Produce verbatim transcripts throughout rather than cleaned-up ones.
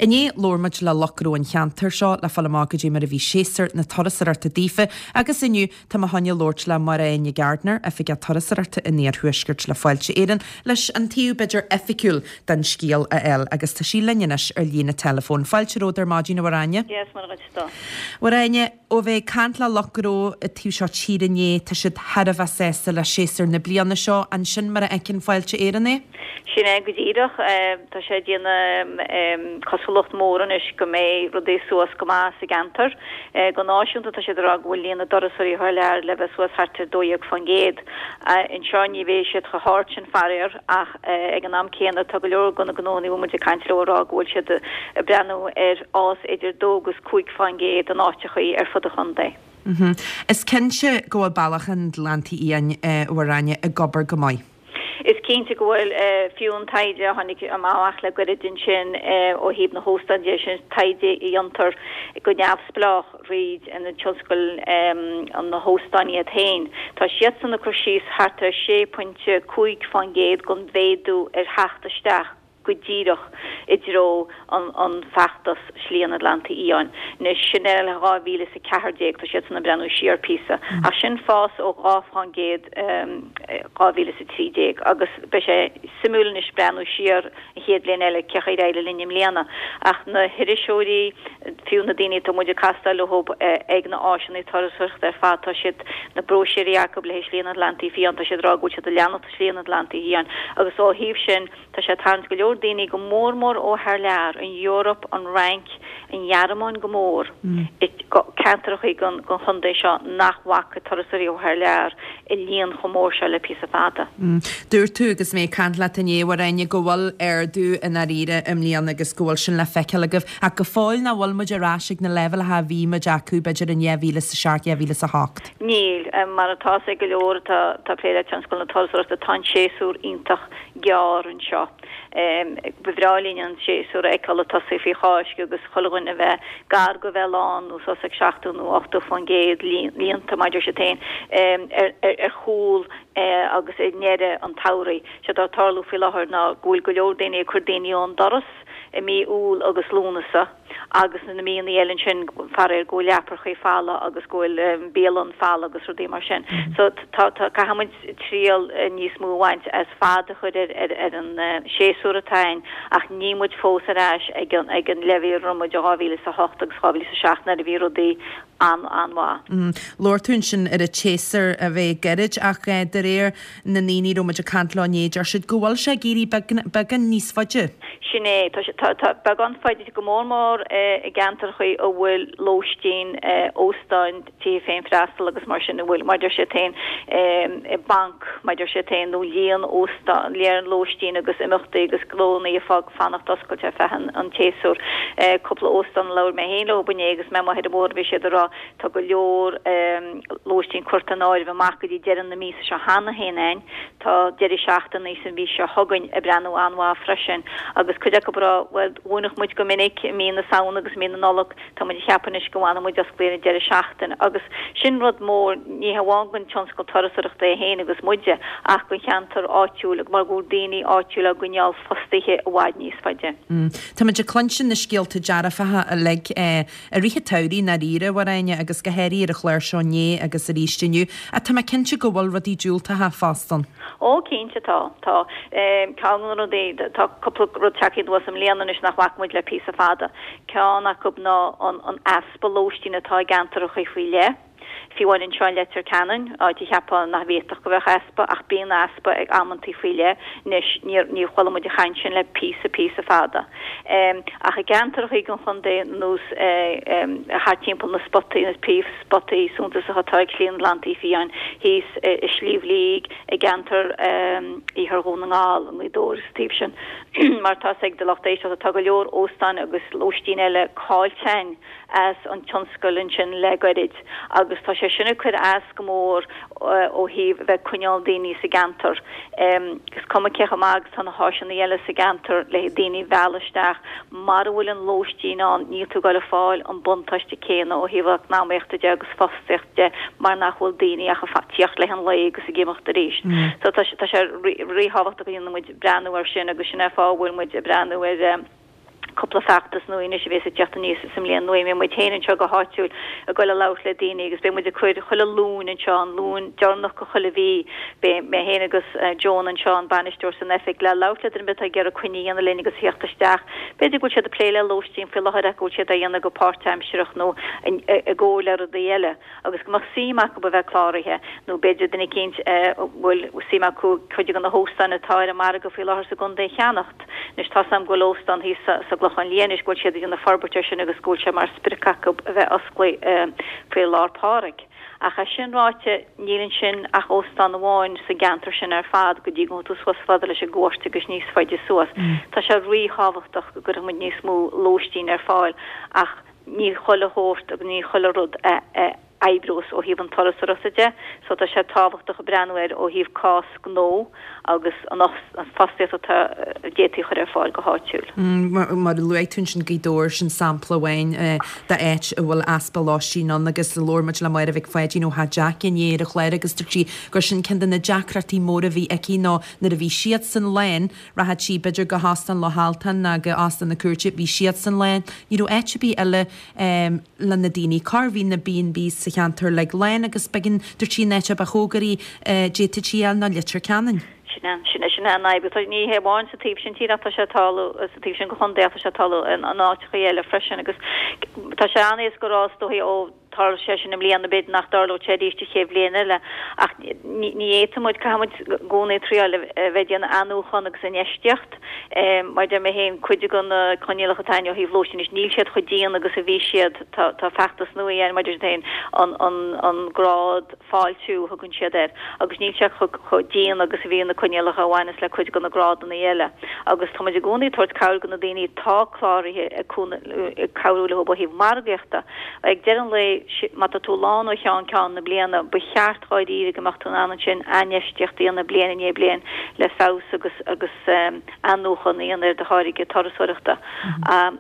Inné labhair muid le lucht gnó an cheantair seo le fáil amach goidé mar a bhí séasúr na turasóireachta daofa agus inniu tá mé chun labhairt le Máire Áine Gardiner, Oifigeach Turasóireachta in Iarthuaisceart le Fáilte Éireann, leis an taobh b'fhéidir oifigiúil den scéal a fháil agus tá sí linn anois ar líne telefón. Fáilte romhat ar maidin a Mháire Áine. Yes, mar go Mháire Áine ó bheith caint le lucht gnó an taobh seo tíre inné tá siad thar a bheith sásta le séasúr na bliana seo ansin mar a fheiceann Fáilte Éireann é? Sin é go díreach tá sé déanamh cosúlacht mór anois go mbeidh rudaí suas go maith sa gceantar. Go náisiúnta tá sé rá go bhfuil líon na dturasóirí thar lear le bheith suas thart ar dó dhéag faoin gcéad. Anseo ní bheidh siad chomh hard sin faraor ach ag an am céanna tá go leor de na gnónna a bhfuil muid ag caint leo rá go bhfuil siad ag breathnú ar fhás idir dó agus cúig faoin gcéad in áiteachaí ar fud an chontae. Mm -hmm. Is cinnte go bhfuil Bealach an Atlantaigh Fhiáin Mháire Áine ag obair go maith. Is cinnte go bhfuil fiú an taighde a tháinig amach le gairid ansin ó thaobh na hóstán de sin taighde a dhéantar go neamhspleách thríd an tionscal an na hóstáin iad féin. Tá siadsan ag cur síos thart ar sé pointe cúig faoin gcéad den mhéadú ar theacht isteach go díreach i dtreo an, an feachtas Slí an Atlantaigh Fhiáin. Anois sin é le dhá mhíle is a ceathair déag tá siadsan ag breathnú siar píosa. Ach sin fás ó dhá faoin gcéad dhá mhíle is a trí déag agus beidh sé suimiúil anois breathnú siar an chéad bhliain eile cén chaoi ar éirigh linn i mbliana. Ach na hiriseoirí fiú na daoine atá muid ag castáil leo ag na áiseanna turasóireachta ar fad tá siad na bróisiúirí acu le Slí an Atlantaigh Fhiáin tá siad rá go bhfuil siad ag leanacht Slí an Atlantaigh Fhiáin agus ó thaobh sin tá sé tarraingt go leor daoine go mór mór ó thar lear an Eoraip an Fhrainc an Ghearmáin go mór ceantracha den chontae seo nach bhfaca turasóirí ó thar lear i líon chomh mór seo le píosa fada. Mm. Dúirt tú agus mé ag caint leat inné Mháire Áine go bhfuil ardú i ndáiríre i mbliana agus go bhfuil sin le feiceáil agaibh ach go fóill nach bhfuil muid ar ais ag na leibhéalacha a bhí muid acu b'fhéidir in dhá mhíle is a seacht dhá mhíle is a hocht. Níl mar atá ag go leor tá tá plé le tionscal na turasóireachta tá an séasúr iontach gearr anseo. Ba bhreá linn an séasúr a fheiceáil ag tosaí faoi Cháisc agus chuile dhuine bheith gar go bheith lán nó suas ag seachtó nó ochtó faoin gcéad líonta mar a deir siad féin ar chúl agus i ndeireadh an tsamhraidh. Sé atá ag tarlú faoi láthair ná go bhfuil go leor daoine ag cur daoine ón doras i mí Iúil agus Lúnasa agus na míonna eile ansin faraor go bhfuil leaprachaí folamh agus go bhfuil bialanna folamh agus rudaí mar sin. So tá caithfidh muid triail níos mó a bhaint as fad a chur ar ar ar an séasúr atá ann ach níl muid fós ar ais ag an ag an leibhéal a raibh muid i dhá mhíle is a hocht agus dhá mhíle is a seacht nuair a bhí rudaí an an-mhaith. Mm. Labhair tú ansin ar an tséasúr a bheith gairid ach de réir na ndaoine a raibh muid ag caint leo inné deir siad go bhfuil sé ag éirí beagán níos faide. Sin é tá tá beagán faide go mór mór i gceantracha a bhfuil lóistín óstáin tithe féinfhreastail agus mar sin a bhfuil mar deir siad féin banc mar deir siad féin nó líon óstán líon lóistín agus imeachtaí agus gnónna ag fanacht oscailte ar feadh an tséasúir. Cúpla óstán labhair mé féin leo inné agus mé amuigh ar an bhóthar bhí siad ag rá tá go leor lóistín curtha in áirithe amach go dtí deireadh na míosa seo cheana féin ann tá deireadh seachtaine san mhí seo chugainn ag breathnú an-mhaith freisin agus cuid acu ag rá well dhúnadh muid go minic i mí na Samhna agus mí na Nollag tá muid ag ceapadh anois go bhfanfaidh muid oscailte an deireadh seachtaine agus sin rud mór ní hamháin don tionscal turasóireachta é féin agus muide ach don cheantar áitiúil mar go bhfuil daoine áitiúil á gcoinneáil fostaithe i bhfad níos faide. Mm. Tá muid ag cluinstin na scéalta dearfacha uilig eh, i rith an tsamhraidh i ndáiríre a Mháire Áine agus go háirithe ar an chlár seo inné agus arís inniu. A tá mé cinnte go bhfuil rudaí diúltacha fosta. Ó cinnte tá tá ceann de na rudaí tá cúpla rud tagtha anuas i mbliana anois nach bhfaca muid le píosa fada. Ceann acu ná an an easpa lóistín atá i gceantracha faoi leith. Fiú amháin anseo in Leitir Ceanainn áit a cheapfá nach bhféadfadh go bheadh easpa ach bíonn easpa ag amantaí faoi leith anois níor ní chuala muid an chaint sin le píosa píosa fada. Um, ach i gceantracha den chontae nós thart timpeall na spotaí na príomhspotaí suntasacha atá ag Slí an Atlantaigh Fiáin thíos i Sliabh Liag i gceantar Iarthar Dhún na nGall an Ghaoth Dobhair is taobh sin mar tá ag do lucht éisteachta tá go leor óstán agus lóistín eile caillte as an tionscal ansin le gairid agus tá sé sin ag cur as go mór ó thaobh bheith coinneáil daoine sa gceantar. Is cuma cé chomh maith agus tá na háiseanna eile sa gceantar le daoine a mhealladh isteach mar a bhfuil an lóistín ann níl tú ag fáil an buntáiste céanna ó thaobh eacnamaíochta de agus fostaíocht de mar nach bhfuil daoine ach ag tíocht le an lae agus ag imeacht arís. So tá tá sé ríthábhachtach go ndéanann muid breathnú ar sin agus sin é fáth a bhfuil muid ag breathnú ar Cúpla feachtas nua anois a bheas ag teacht aníos sa mbliain nua. Beidh muid féin anseo go háitiúil ag goil a labhairt le daoine agus beidh muid ag cur chuile Luan anseo, an Luan deireanach de chuile mhí, beidh mé féin agus Joan anseo, an bainisteoir san oifig, le labhairt le duine ar bith atá ag iarraidh coinne a dhéanamh linn agus a theacht isteach. B'fhéidir go bhfuil siad ag plé le lóistín faoi láthair ach go bhfuil siad á dhéanamh go páirtaimsearach nó i gcomhar le rudaí eile agus go mbeadh suim acu a bheith cláraithe nó b'fhéidir duine eicínt a bhfuil suim acu cuid de na hóstáin atá ar an margadh faoi láthair sa gcontae a cheannacht. Anois tá 's a'm go bhfuil óstán thíos sa gClochán Liath anois go bhfuil siad ag déanamh forbairt air sin agus go bhfuil sé mar sprioc acu a bheith osclaithe faoi lár Phádraig. Ach é sin ráite, níl ansin ach óstán amháin sa gceantar sin ar fad go dtí go ngabhfaidh tú suas fada leis an gcúirt agus níos faide suas. Tá sé ríthábhachtach go gcuirfidh muid níos mó lóistín ar fáil ach ní chuile shórt agus ní chuile rud a oibreos ó thaobh an turasóireachta de so tá sé tábhachtach breathnú air ó thaobh cás gnó agus an fostaíocht atá d'fhéadfaí a chur ar fáil go háitiúil. Mar a luaigh tú ansin Gaoth Dobhair, sin sampla amháin d'áit a bhfuil easpa lóistín ann agus labhair muid le Máire Mhic Pháidín ó Theach Jack inné ar an chlár agus dúirt sí gur sin ceann de na deacrachtaí móra a bhí aici ná nuair a bhí siadsan lán, rachadh sí b'fhéidir go hÓstán Loch Altan ná go Óstán na Cúirte, bhí siadsan lán, ní raibh áit ar bith eile le na daoine cur, bhí na B and Bs sa cheantar uilig lán agus b'éigean, dúirt sí, an áit a ba chóngaraí a d'fhéadfadh sí a fháil ná Leitir Ceanainn. Sin é, sin é, sin é an fhadhb. Tá, ní hé amháin sa taobh sin tíre ach tá sé ag tarlú sa taobh sin de chontae ach tá sé ag tarlú in áiteachaí eile freisin agus tá sé an-éasca a rá is dóichí ó tharla sé sin i mbliana b'fhéidir nach dtarlódh sé arís an chéad bhliain eile ach ní fhéadfaidh muid, caithfidh muid i gcónaí triáil a bheith ag déanamh athnuachan agus infheistíocht. Mar a deir mé féin, cuid de na coinníollacha atá ann ó thaobh lóistín anois, níl siad chomh dian agus a bhí siad, tá tá feachtas nua ann mar a deir siad féin, an an an grád fáiltiú a thugann siad air agus níl sé chomh dian agus a bhí na coinníollacha a bhaineas le cuid de na grádanna eile agus tá muid i gcónaí ag tabhairt cabhair do na daoine atá cláraithe ag cabhrú leo ó thaobh margaíochta. Ag deireadh an lae, má tá tú lán ó cheann ceann na bliana, ba cheart dháiríre go mbeadh tú in ann ansin infheistíocht a dhéanamh bliain i ndiaidh bliain le feabhas agus agus athnuachan a dhéanamh ar do tháirge turasóireachta.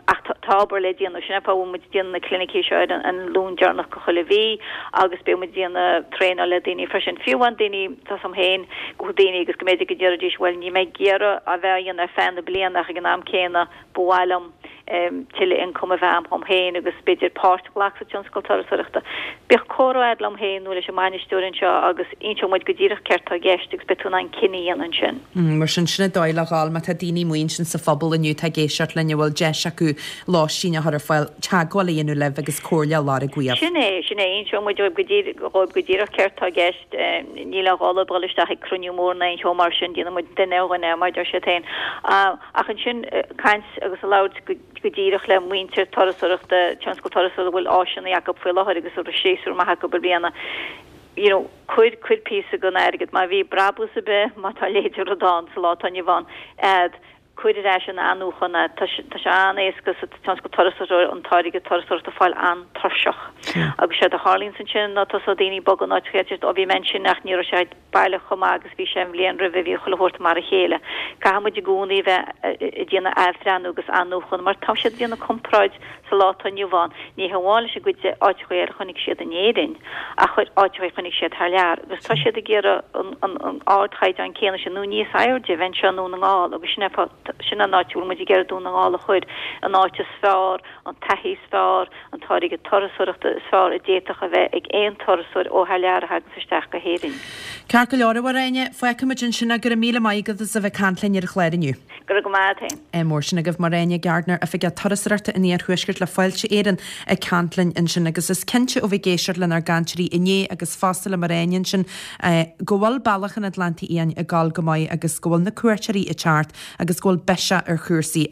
Ach tá obair le déanamh. Sin é an fáth a bhfuil muid ag déanamh na clinicí seo ar an Luan deireanach de chuile mhí agus beidh muid ag déanamh traenáil le daoine freisin. Fiú amháin daoine, tá 's a'm féin, go bhfuil daoine agus go mb'fhéidir go ndéarfaidís bhuel níl mé ag iarraidh a bheith á dhéanamh ar feadh na bliana ach ag an am céanna ba mhaith liom tuilleadh ioncaim a bheith a'm dhom féin agus b'fhéidir páirt a ghlacadh sa tionscal turasóireachta. Bíodh comhrá a'd liom féin nó leis an mbainisteoir anseo agus inseoidh muid go díreach céard tá i gceist agus beidh tú in ann cinneadh a dhéanamh ansin. Mar sin, sin an dóigh le dhul, má tá daoine amuigh ansin sa phobal inniu atá ag éisteacht linn a bhfuil deis acu lóistín a chur ar fáil, teagmháil a dhéanamh libh agus comhairle a lorg uaibh. Sin é, sin é, inseoidh muid dóibh go díreach, dhóibh go díreach céard tá i gceist. Níl aon ghá dóibh dhul isteach ag cruinniú mór ná aon cheo mar sin, déanann muid duine ar dhuine, mar a deir siad féin. Ach ansin caint agus a labhairt go go díreach le muintir turasóireachta, tionscal turasóireachta a bhfuil áiseanna acu faoi láthair agus a raibh séasúr maith acu i mbliana, you know, cuir, cuir píosa den airgead, má bhí brabús ar bith, má tá a leithéid de rud ann sa lá atá inniu ann, a'd, cuir ar ais in athnuachan é. Tá sé, tá sé an-éasca sa tionscal turasóireachta an táirge turasóireachta a fáil an-tuirseach. Agus séard a tharlaíonns ansin ná tosóidh daoine ag bogadh in áiteacha eile, ó bhí mé ansin ach ní raibh sé baileach chomh maith agus bhí sé an bhliain roimhe, bhí chuile shórt mar a chéile. Caithfidh muid i gcónaí a bheith ag déanamh athbhreathnú agus athnuachan mar tá siad ag déanamh comparáid sa lá atá inniu ann, ní hamháin leis an gcuid de áiteacha eile a chonaic siad in Éirinn ach áiteacha a chonaic siad thar lear agus tá siad ag iarraidh an ardchaighdeán céanna sin nó níos airde a bheith anseo i nDún na nGall agus sin é sin an áit a bhfuil muid ag iarraidh Dún na nGall a chur, an áit is fearr, an taithí is fearr, an táirge turasóireachta is fearr a d'fhéadfadh a bheith ag aon turasóir ó thar lear a thaganns isteach go hÉirinn. Ceart go leor, a Mháire Áine, fágfaidh muid ansin é. Go raibh míle maith agat as a bheith ag caint linn ar an chlár inniu. Go raibh maith agat féin. Mór sin agaibh, Máire Áine Gardiner, Oifigeach Turasóireachta an Iarthuaiscirt le Fáilte Éireann ag caint linn ansin agus is cinnte ó bheith ag éisteacht lenár gcainteoirí inné agus fosta le Máire Áine ansin go bhfuil Bealach an Atlantaigh Fhiáin ag dul go maith agus go bhfuil na cuairteoirí ag teacht agus go bhfuil biseach ar chúrsaí.